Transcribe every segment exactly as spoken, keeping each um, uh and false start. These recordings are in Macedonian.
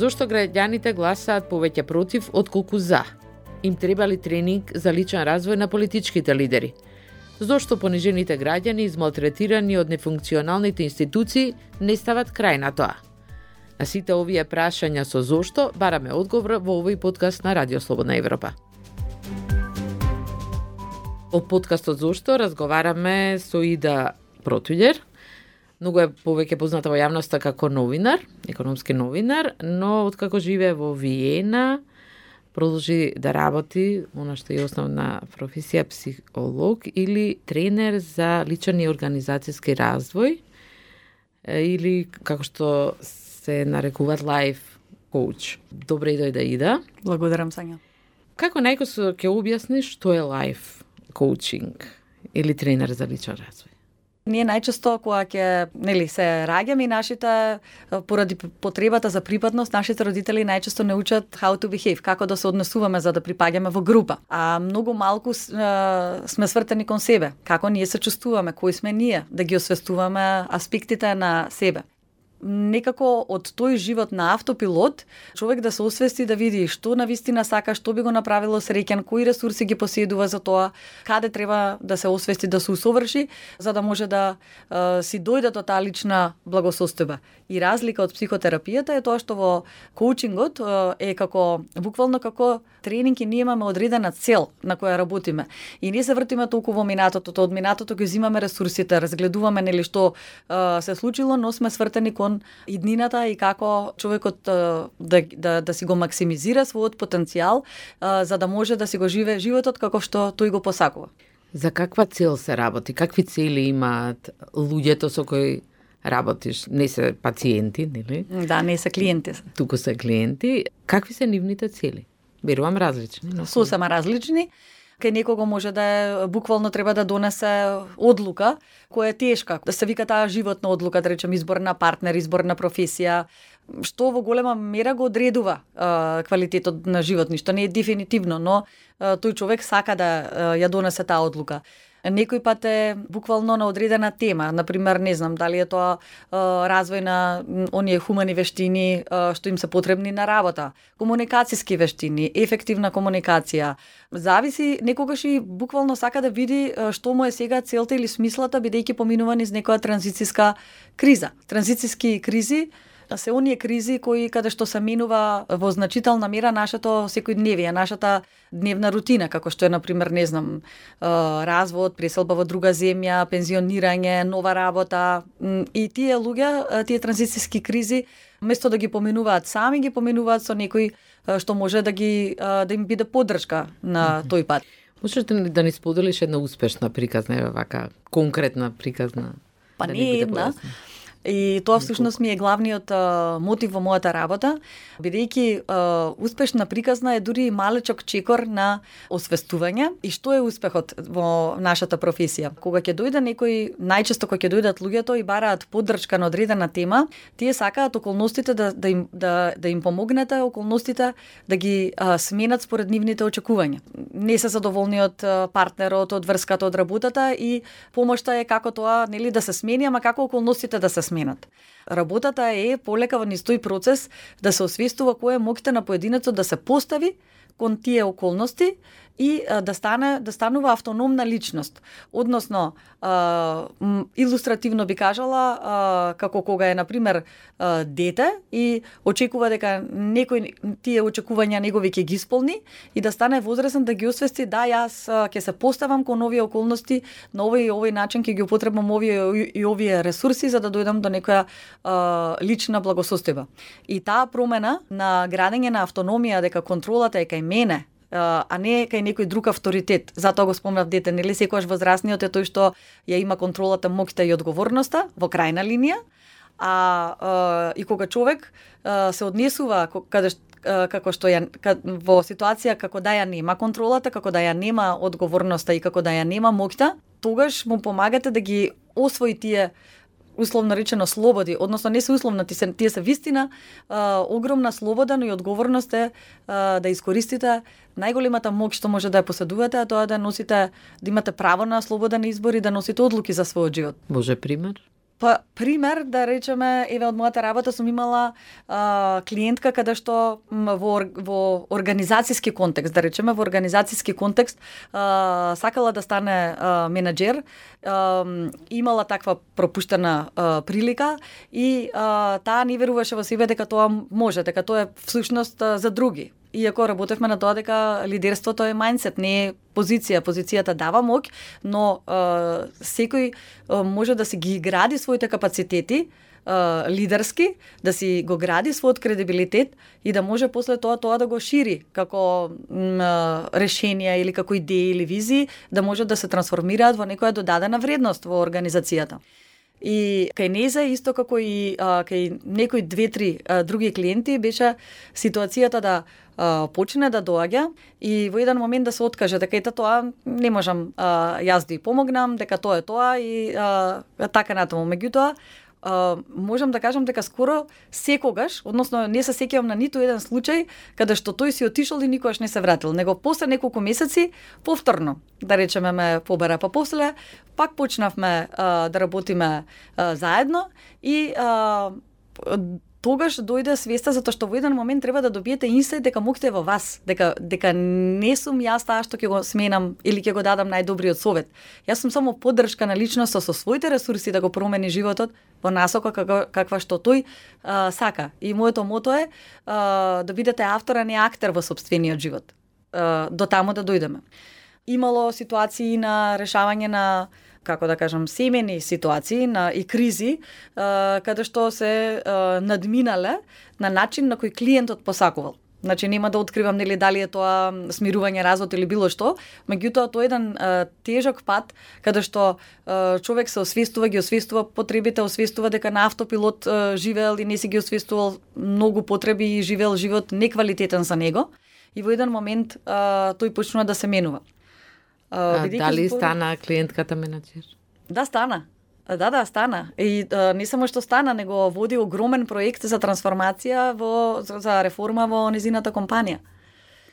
Зошто граѓаните гласаат повеќе против отколку за? Им треба ли тренинг за личен развој на политичките лидери? Зошто понижените граѓани, измалтретирани од нефункционалните институции, не стават крај на тоа? На сите овие прашања со зошто бараме одговор во овој подкаст на Радио Слободна Европа. Во подкастот Зошто разговараме со Ида Протуѓер. Многу е повеќе позната во јавноста како новинар, економски новинар, но откако живее во Виена, продолжи да работи, она што е основна професија, психолог или тренер за личен и организацијски развој, или како што се нарекуваат life coach. Добре дојде, Ида. Благодарам, Сања. Како најкосо ќе објасниш што е life coaching или тренер за личен развој? Ние најчесто кога ќе, нели, се раѓаме и нашите поради потребата за припадност, нашите родители најчесто не учат how to behave, како да се однесуваме за да припаѓаме во група. А многу малку сме свртени кон себе, како ние се чувствуваме, кои сме ние, да ги освестуваме аспектите на себе. Некако од тој живот на автопилот, човек да се освести, да види што навистина сака, што би го направило среќен, кои ресурси ги поседува за тоа, каде треба да се освести, да се усоврши, за да може да е, си дојде до таа лична благосостојба. И разлика од психотерапијата е тоа што во коучингот е, е како, буквално како тренинг и ние имаме одредена цел на која работиме. И ние се вртиме толку во минатото, од минатото ги земаме ресурсите, разгледуваме нели што е, се случило, но сме свртени кон иднината и како човекот да, да, да си го максимизира својот потенцијал, а, за да може да си го живее животот како што тој го посакува. За каква цел се работи? Какви цели имаат луѓето со кои работиш? Не се пациенти, нели? Да, не се клиенти. Туку се клиенти. Какви се нивните цели? Верувам различни. Но... Сосема различни. Кај некого може да е, буквално треба да донесе одлука која е тешка. Да се вика таа животна одлука, да речем избор на партнер, избор на професија, што во голема мера го одредува е, квалитетот на живот, ништо не е дефинитивно, но е, тој човек сака да е, ја донесе таа одлука. Некој пат е буквално на одредена тема, например, не знам, дали е тоа е, развој на оние хумани вештини е, што им се потребни на работа, комуникацијски вештини, ефективна комуникација. Зависи, некогаш и буквално сака да види е, што му е сега целта или смислата, бидејќи поминува низ некоја транзицијска криза. Транзицијски кризи се оние кризи кои каде што се менува во значителна мера нашето секојдневие, нашата дневна рутина, како што е, например, не знам, развод, преселба во друга земја, пензионирање, нова работа. И тие луѓе, тие транзицијски кризи, место да ги поминуваат сами, ги поминуваат со некој што може да ги да им биде поддршка на тој пат. Можеш да ни споделиш една успешна приказна, вака конкретна приказна? Па да не е една. И тоа всушност ми е главниот а, мотив во мојата работа, бидејќи а, успешна приказна е дури малечок чекор на освестување и што е успехот во нашата професија. Кога ќе дојде некој, најчесто кога ќе дојдат луѓето и бараат поддршка на одредена тема, тие сакаат околностите да да им да да им помогнете, околностите да ги а, сменат според нивните очекувања. Не се задоволни од партнерот, од врската, од работата и помошта е како тоа, нели, да се смени, ама како околностите да се сменат. Работата е полека во низ тој процес да се освестува кој е моќта на поединецот да се постави кон тие околности и а, да стане да станува автономна личност. Односно, а, илустративно би кажала, а, како кога е, например, а, дете и очекува дека некој тие очекувања негови ќе ги исполни и да стане возрасен да ги освести, да, јас а, ќе се поставам кон овие околности, на овој и овој начин ќе ги употребам овие и овие ресурси за да дојдам до некоја а, лична благосостојба. И таа промена на градење на автономија, дека контролата е кај мене, а не кај некој друг авторитет. Затоа го спомнав дете, нели, секогаш возрастниот е тој што ја има контролата, моќта и одговорноста во крајна линија, а, а и кога човек а, се однесува каде како што ја во ситуација како да ја нема контролата, како да ја нема одговорноста и како да ја нема моќта, тогаш му помагате да ги освои тие условно речено слободи, односно не се условно, тие се, тие се вистина а, огромна слобода, но и одговорност е а, да искористите најголемата моќ што може да ја поседувате, а тоа е да носите, да имате право на слободен избор и да носите одлуки за својот живот. Може пример? Па, пример, да речеме, еве од мојата работа сум имала а, клиентка каде што м, во, во организацијски контекст, да речеме, во организацијски контекст а, сакала да стане а, менаџер, а, имала таква пропуштена а, прилика и а, таа не веруваше во себе дека тоа може, дека тоа е всушност а, за други. Иако работевме на тоа дека лидерството е мајндсет, не е позиција. Позицијата дава моќ, но а, секој а, може да си ги гради своите капацитети а, лидерски, да си го гради својот кредибилитет и да може после тоа тоа да го шири како м, решенија или како идеи или визии, да може да се трансформираат во некоја додадена вредност во организацијата. И кај Неза, исто како и а, кај некои две-три други клиенти, беше ситуацијата да а, почне да доаѓа и во еден момент да се откаже дека ета тоа не можам а, јас да ја помогнам, дека тоа е тоа и а, така натаму. Меѓутоа, Uh, можам да кажам дека скоро секогаш, односно не се сеќавам на ниту еден случај каде што тој си отишол и никогаш не се вратил, него после неколку месеци повторно, да речеме, ме побара, па после пак почнавме uh, да работиме uh, заедно и uh, тогаш дојде свеста затоа што во еден момент треба да добиете инсайт дека моќте во вас, дека дека не сум јас таа што ќе го сменам или ќе го дадам најдобриот совет. Јас сум само поддршка на личноста со своите ресурси да го промени животот во насока каква, каква што тој а, сака. И моето мото е а, да бидете автор, а не актер во сопствениот живот. А, до таму да дојдеме. Имало ситуации на решавање на, како да кажам, семени ситуации на и кризи, а, каде што се а, надминале на начин на кој клиентот посакувал. Значи нема да откривам нели дали е тоа смирување, развод или било што, меѓутоа тоа е еден а, тежок пат каде што а, човек се освестува, ги освестува потребите, освестува дека на автопилот а, живеел и не си ги освестувал многу потреби и живеел живот неквалитетен за него. И во еден момент а, тој почнува да се менува. А, дали збор... стана клиентката менаџер? Да, стана. Да, да, стана. И а, не само што стана, него води огромен проект за трансформација во за реформа во незината компанија.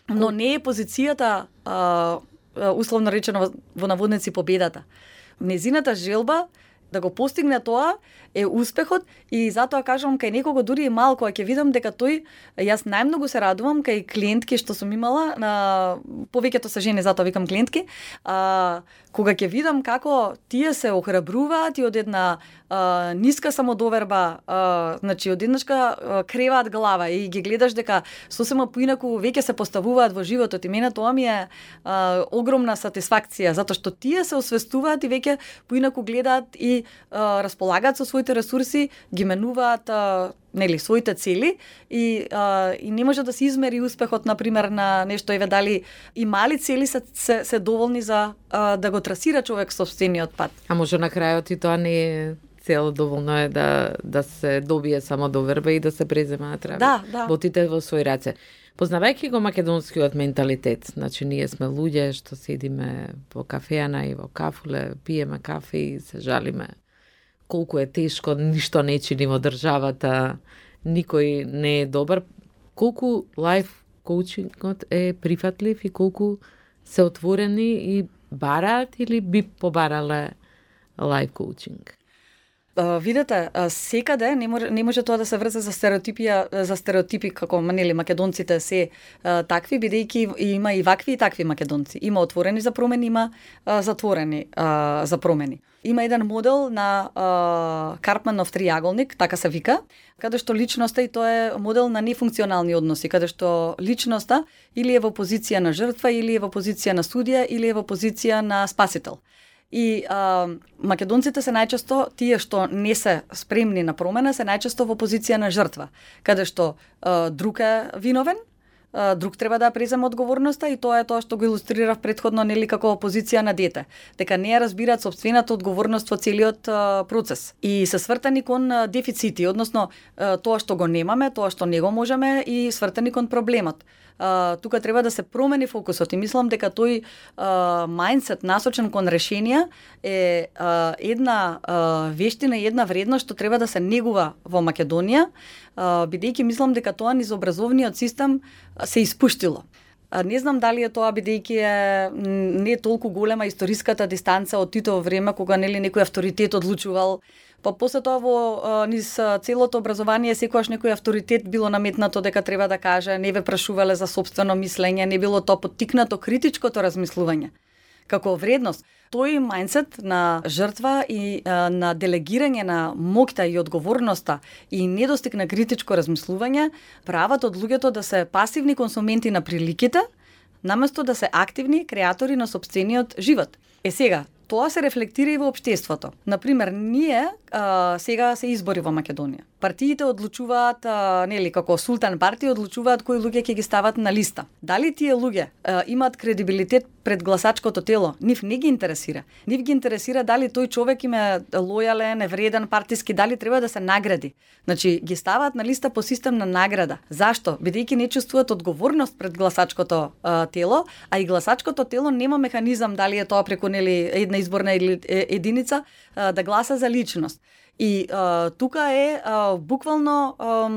Но не е позицијата а, условно речено во наводници победата. Незината желба да го постигне тоа е успехот и затоа кажувам кај некого дури и малку, а ќе видам дека тој, јас најмногу се радувам кај клиентки што сум имала, на повеќето се жени, затоа викам клиентки, а, кога ќе видам како тие се охрабруваат и од една а, ниска самодоверба, а, значи од еднашка креваат глава и ги гледаш дека сосема поинаку веќе се поставуваат во животот и мене тоа ми е а, огромна сатисфакција, затоа што тие се освестуваат и веќе поинаку гледаат и а, располагаат со своите ресурси, ги менуваат а, нели своите цели и а, и не може да се измери успехот на пример на нешто, еве дали и мали цели се се, се доволни за а, да го трасира човек собствениот пат. А може на крајот и тоа не е цел, доволно е да да се добие само доверба и да се преземаат работи. Да, да. Ботите во своји раце. Познавајќи го македонскиот менталитет, значи ние сме луѓе што седиме во кафеана и во кафуле, пиеме кафе и се жалиме колку е тешко, ништо не чини во државата, никој не е добар. Колку лайф коучингот е прифатлив и колку се отворени и бараат или би побарале лайф коучинг? Uh, видете, uh, секаде не може, не може тоа да се врзе за стереотипија, за стереотипи како нели македонците се uh, такви, бидејќи има и вакви и такви македонци. Има отворени за промени, има uh, затворени uh, за промени. Има еден модел на uh, Карпманов триаголник, така се вика, каде што личноста, и тоа е модел на нефункционални односи, каде што личноста или е во позиција на жртва, или е во позиција на судија, или е во позиција на спасител. И а, македонците се најчесто, тие што не се спремни на промена, се најчесто во позиција на жртва, каде што а, друг е виновен, а, друг треба да преземе одговорноста и тоа е тоа што го илустрирав претходно, нели, како позиција на дете, дека не ја разбираат собствената одговорност во целиот а, процес и се свртани кон а, дефицити, односно а, тоа што го немаме, тоа што не го можеме и свртани кон проблемот. Uh, тука треба да се промени фокусот и мислам дека тој uh, мајндсет насочен кон решенија е uh, една uh, вештина и една вредност што треба да се негува во Македонија, uh, бидејќи мислам дека тоа низ образовниот систем се испуштило. Не знам дали е тоа бидејќи е не е толку голема историската дистанца од Титово време кога нели некој авторитет одлучувал. Па после тоа во низ целото образование секогаш некој авторитет било наметнато дека треба да каже, не ве прашувале за сопствено мислење, не било тоа поттикнато критичкото размислување како вредност. Тој мајндсет на жртва и а, на делегирање на моќта и одговорноста и недостиг на критичко размислување прават од луѓето да се пасивни консументи на приликите, наместо да се активни креатори на сопствениот живот. Е сега, тоа се рефлектира и во општеството. Например, ние а, сега се избори во Македонија. Партиите одлучуваат, а, нели, како султан партии одлучуваат кои луѓе ќе ги стават на листа. Дали тие луѓе а, имаат кредибилитет пред гласачкото тело? Нив не ги интересира. Нив ги интересира дали тој човек им е лојален, вреден, партиски, дали треба да се награди. Значи, ги ставаат на листа по систем на награда. Зашто? Бидејќи не чувствуваат одговорност пред гласачкото а, тело, а и гласачкото тело нема механизам дали е тоа преку нели една изборна единица а, да гласа за личност. И а, тука е а, буквално а,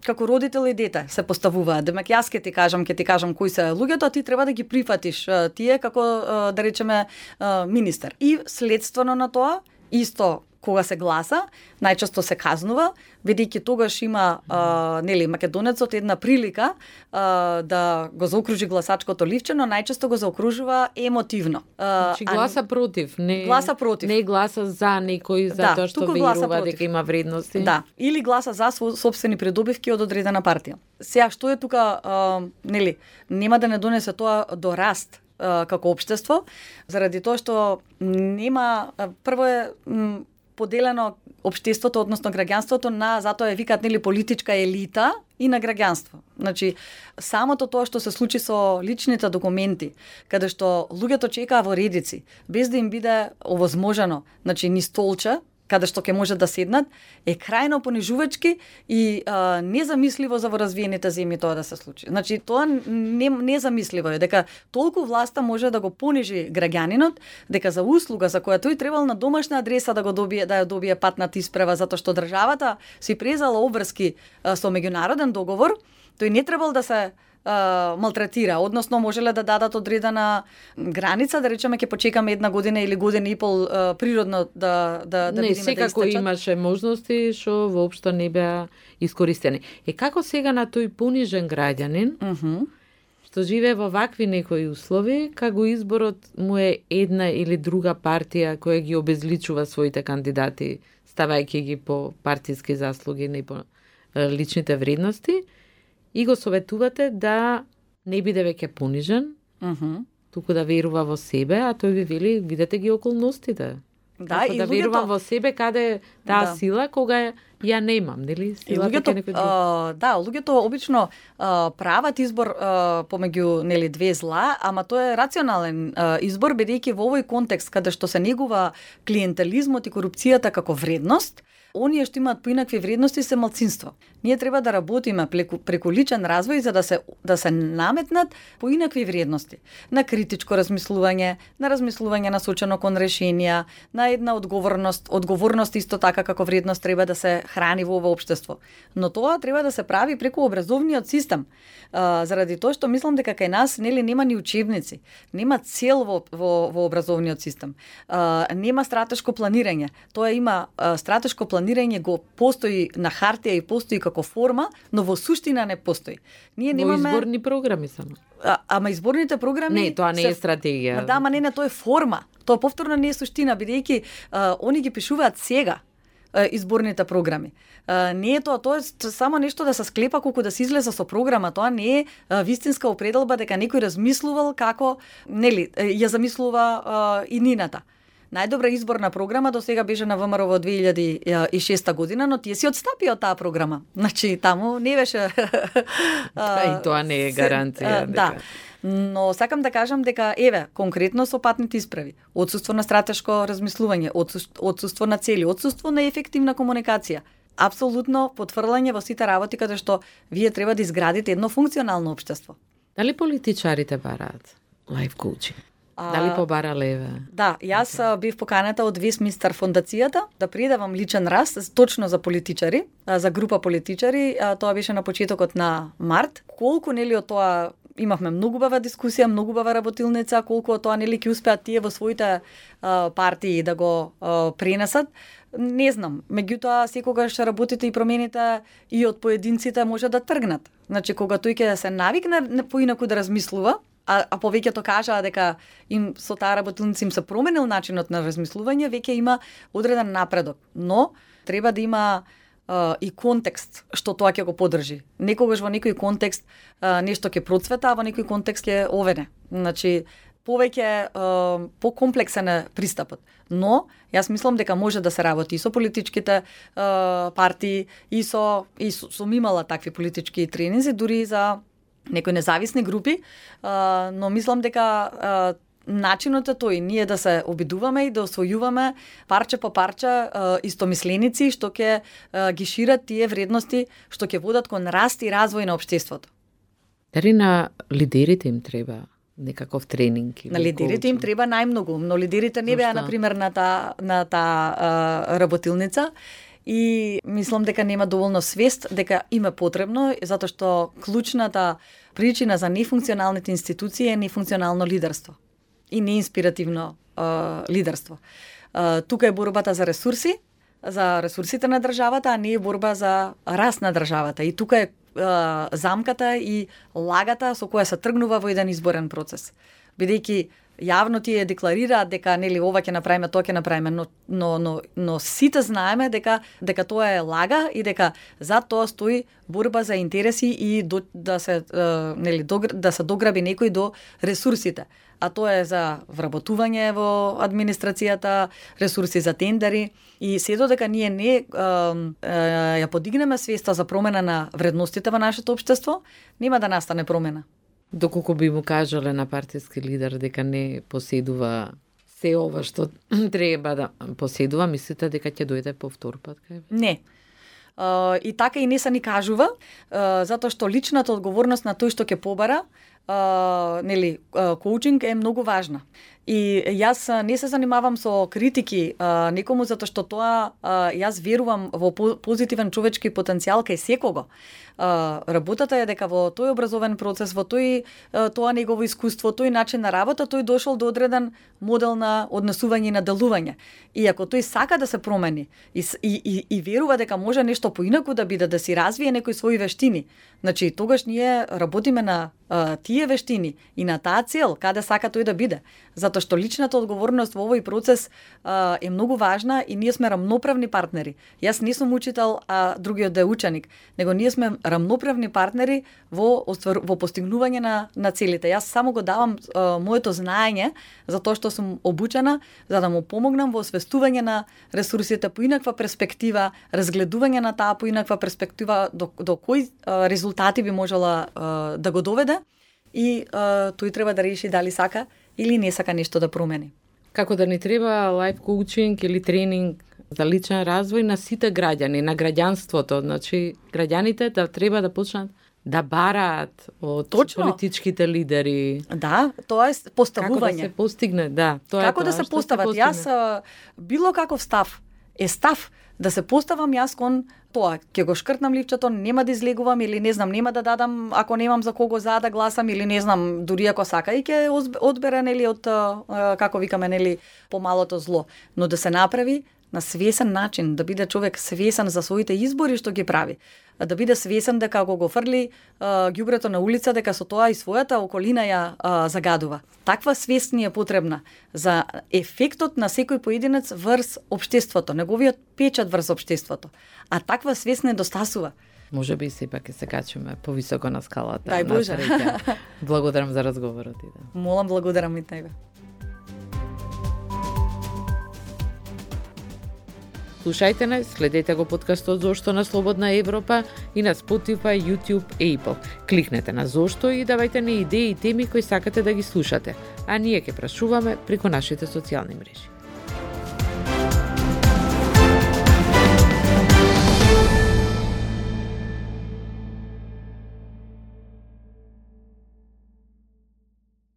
како родител и дете се поставуваат. Демек јас ќе ти кажам, ќе ти кажам кои се луѓето, а ти треба да ги прифатиш а, тие како а, да речеме а, министер. И следствено на тоа исто кога се гласа, најчесто се казнува, бидејќи тогаш има а, нели македонецот една прилика а, да го заокружи гласачкото ливче, но најчесто го заокружува емотивно. А, значи гласа а, против, не гласа против. Не гласа за некој затоа да, што верува дека има вредности. Да, или гласа за сопствени придобивки од одредена партија. Сега што е тука а, нели нема да не донесе тоа до раст а, како општество, заради тоа што нема прво е м, поделено општеството, односно граѓанството на, затоа е викаат нели политичка елита и на граѓанство. Значи, самото тоа што се случи со личните документи, каде што луѓето чекаа во редици, без да им биде овозможено, значи ни столче, каде што ќе може да седнат, е крајно понижувачки и а, незамисливо за во развиените земји тоа да се случи. Значи, тоа не, незамисливо е, дека толку власта може да го понижи граѓанинот, дека за услуга за која тој требал на домашна адреса да го добие, да ја добие патната исправа, затоа што државата си презала обврски а, со меѓународен договор, тој не требал да се Uh, малтретира, односно можеле да дадат одредена граница, да речеме ќе почекаме една година или година и пол uh, природно да да да не, видиме да секако истечат. Имаше можности што воопшто не беа искористени. Е како сега на тој понижен граѓанин, uh -huh. што живее во вакви некои услови, како изборот му е една или друга партија која ги обезличува своите кандидати, ставајќи ги по партиски заслуги, не по личните вредности, и го советувате да не биде веќе понижен, uh -huh. туку да верува во себе, а тој ви вели, видете ги околностите. Да, Како и да луѓето... верувам во себе каде е таа да. сила кога ја немам, нели? И луѓето, а, да, луѓето обично а, прават избор а, помеѓу нели две зла, ама тоа е рационален а, избор, бидејќи во овој контекст каде што се негува клиентелизмот и корупцијата како вредност, оние што имаат поинакви вредности се малцинство. Ние треба да работиме преку, преку личен развој за да се да се наметнат поинакви вредности. На критичко размислување, на размислување насочено кон решенија, на една одговорност, одговорност исто така како вредност треба да се храни во ова општество. Но тоа треба да се прави преку образовниот систем. А, заради тоа што мислам дека кај нас нели нема ни учебници, нема цел во во, во образовниот систем. А, нема стратешко планирање. Тоа има а, стратешко планирање го постои на хартија и постои како форма, но во суштина не постои. Ние немаме во изборни програми само. А, ама изборните програми Не, тоа не се... е стратегија. Да, ама не, не, тоа е форма. Тоа повторно не е суштина, бидејќи а, они ги пишуваат сега а, изборните програми. А, не е тоа, тоа е само нешто да се склепа колку да се излезе со програма, тоа не е а, вистинска определба дека некој размислувал како, нели, ја замислува а, и нината. Најдобра изборна програма до сега беше на ВМРО во две илјади и шеста година, но тие си отстапија од таа програма. Значи, таму не беше... И тоа не е гаранција. Да. Но сакам да кажам дека, еве, конкретно со патните исправи, отсуство на стратешко размислување, отсуство на цели, отсуство на ефективна комуникација, апсолутно потврлање во сите работи каде што вие треба да изградите едно функционално општество. Дали политичарите бараат лайф коучинг? Дали побара леве? Да, јас okay. бив поканета од Вестминстер фондацијата да предавам личен раст точно за политичари, за група политичари, тоа беше на почетокот на март. Колку нели од тоа Имавме многу бава дискусија, многу бава работилница, колку тоа нели ќе успеат тие во своите а, партии да го а, пренесат. Не знам, меѓутоа секогаш работите и промените и од поединците може да тргнат. Значи кога тој ќе се навикне поинаку да размислува, а, а повеќето кажаа дека им со таа работилница им се променил начинот на размислување, веќе има одреден напредок. Но треба да има Uh, и контекст што тоа ќе го поддржи. Некогаш во некој контекст uh, нешто ќе процвета, а во некој контекст ќе овене. Значи, повеќе uh, покомплексен е пристапот. Но, јас мислам дека може да се работи и со политичките uh, партии, и со, и со, сум имала такви политички тренинзи, дури и за некои независни групи, uh, но мислам дека uh, начинот е тој, ние да се обидуваме и да освојуваме парче по парче истомисленици што ќе ги шират тие вредности што ќе водат кон раст и развој на општеството. Дали на лидерите им треба некаков тренинг? На лидерите им треба најмногу, но лидерите не беа на пример на таа на таа работилница. И мислам дека нема доволно свест дека им е потребно, затоа што клучната причина за нефункционалните институции е нефункционално лидерство и неинспиративно uh, лидерство. Uh, тука е борбата за ресурси, за ресурсите на државата, а не е борба за раст на државата. И тука е uh, замката и лагата со која се тргнува во еден изборен процес. Бидејќи јавно тие декларираат дека нели ова ќе направиме, тоа ќе направиме, но но но но сите знаеме дека дека тоа е лага и дека за тоа стои борба за интереси и до, да се uh, нели да се дограби некој до ресурсите. А тоа е за вработување во администрацијата, ресурси за тендери и се додека ние не е, е, ја подигнеме свеста за промена на вредностите во нашето општество, нема да настане промена. Доколку би му кажале на партиски лидер дека не поседува се ова што треба да поседува, мислите дека ќе дојде повтор пат кај? Не. Uh, и така и не се ни кажува, uh, затоа што личната одговорност на тој што ќе побара, uh, нели, uh, коучинг е многу важна. И јас не се занимавам со критики uh, некому затоа што тоа uh, јас верувам во позитивен човечки потенцијал кај секого. Uh, работата е дека во тој образовен процес, во тој uh, тоа негово искуство, тој начин на работа, тој дошол до одреден модел на однесување и на делување. И ако тој сака да се промени и, и, и, и верува дека може нешто поинаку да биде, да си развие некои своји вештини, значи тогаш ние работиме на uh, тие вештини и на таа цел, каде сака тој да биде. Затоа што личната одговорност во овој процес uh, е многу важна и ние сме рамноправни партнери. Јас не сум учител, а другиот да е ученик, него ние сме рамноправни партнери во во постигнување на на целите. Јас само го давам uh, моето знаење за тоа што сум обучена, за да му помогнам во освестување на ресурсите по инаква перспектива, разгледување на таа по инаква перспектива до, до кои uh, резултати би можела uh, да го доведе и uh, тој треба да реши дали сака или не сака нешто да промени. Како да ни треба лайф коучинг или тренинг за личен развој на сите граѓани, на граѓанството, значи граѓаните да треба да почнат да бараат од Точно. Политичките лидери. Да, тоа е поставување. Како да се постигне, да. Тоа како е тоа, да се постават? Се јас било каков став е став да се поставам јас кон тоа, ќе го шкртнам ливчето, нема да излегувам или не знам, нема да дадам ако немам за кого за да гласам или не знам, дури ако сака и ќе одбере нели од како викаме нели помалото зло, но да се направи на свесен начин, да биде човек свесен за своите избори што ги прави, да биде свесен дека ако го фрли ѓубрето на улица, дека со тоа и својата околина ја а, загадува. Таква свест ни е потребна за ефектот на секој поединец врз општеството, неговиот печат врз општеството. А таква свест недостасува. Може би сепак ќе се качиме повисоко на скалата. Дај Боже. Благодарам за разговорот. Да. Молам, благодарам и тебе. Слушајте не, следете го подкастот Зошто на Слободна Европа и на Spotify, YouTube и Apple. Кликнете на Зошто и давајте ни идеи и теми кои сакате да ги слушате, а ние ќе прашуваме преку нашите социјални мрежи.